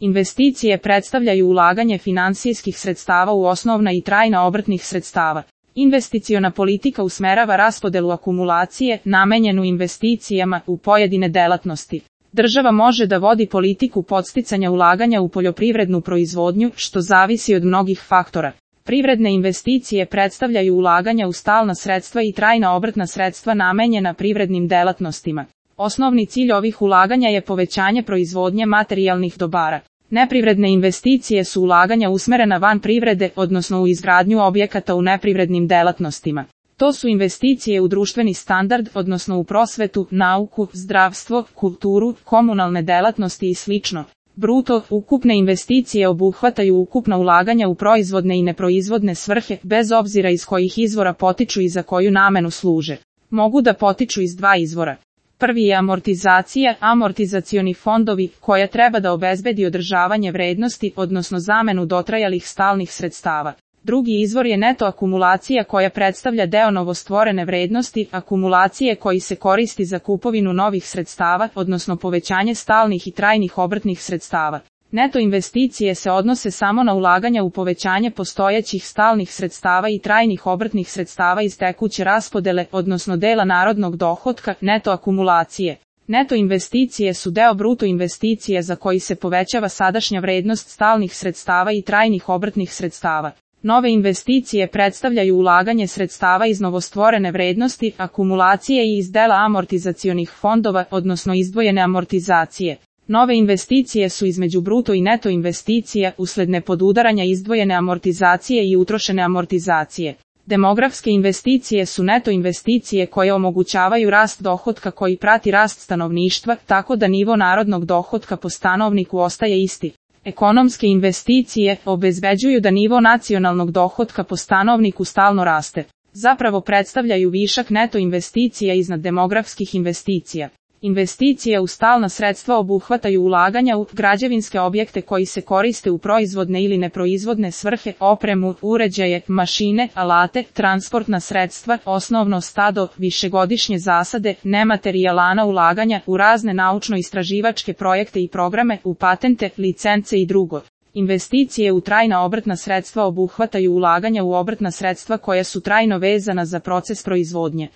Investicije predstavljaju ulaganje finansijskih sredstava u osnovna i trajna obrtnih sredstava. Investiciona politika usmerava raspodelu akumulacije, namenjenu investicijama, u pojedine delatnosti. Država može da vodi politiku podsticanja ulaganja u poljoprivrednu proizvodnju, što zavisi od mnogih faktora. Privredne investicije predstavljaju ulaganja u stalna sredstva i trajna obrtna sredstva namenjena privrednim delatnostima. Osnovni cilj ovih ulaganja je povećanje proizvodnje materijalnih dobara. Neprivredne investicije su ulaganja usmerena van privrede, odnosno u izgradnju objekata u neprivrednim delatnostima. To su investicije u društveni standard, odnosno u prosvetu, nauku, zdravstvo, kulturu, komunalne delatnosti i sl. Bruto, ukupne investicije obuhvataju ukupna ulaganja u proizvodne i neproizvodne svrhe, bez obzira iz kojih izvora potiču i za koju namenu služe. Mogu da potiču iz dva izvora. Prvi je amortizacija, amortizacioni fondovi, koja treba da obezbedi održavanje vrednosti, odnosno zamenu dotrajalih stalnih sredstava. Drugi izvor je neto akumulacija koja predstavlja deo novostvorene vrednosti, akumulacije koji se koristi za kupovinu novih sredstava, odnosno povećanje stalnih i trajnih obrtnih sredstava. Neto investicije se odnose samo na ulaganja u povećanje postojećih stalnih sredstava i trajnih obrtnih sredstava iz tekuće raspodele, odnosno dela narodnog dohotka, neto akumulacije. Neto investicije su deo bruto investicije za koji se povećava sadašnja vrednost stalnih sredstava i trajnih obrtnih sredstava. Nove investicije predstavljaju ulaganje sredstava iz novostvorene vrednosti, akumulacije i iz dela amortizacionih fondova, odnosno izdvojene amortizacije. Nove investicije su između bruto i neto investicija, usled nepodudaranja izdvojene amortizacije i utrošene amortizacije. Demografske investicije su neto investicije koje omogućavaju rast dohotka koji prati rast stanovništva, tako da nivo narodnog dohotka po stanovniku ostaje isti. Ekonomske investicije obezbeđuju da nivo nacionalnog dohotka po stanovniku stalno raste. Zapravo predstavljaju višak neto investicija iznad demografskih investicija. Investicije u stalna sredstva obuhvataju ulaganja u građevinske objekte koji se koriste u proizvodne ili neproizvodne svrhe, opremu, uređaje, mašine, alate, transportna sredstva, osnovno stado, višegodišnje zasade, nematerijalna ulaganja u razne naučno-istraživačke projekte i programe, u patente, licence i drugo. Investicije u trajna obrtna sredstva obuhvataju ulaganja u obrtna sredstva koja su trajno vezana za proces proizvodnje.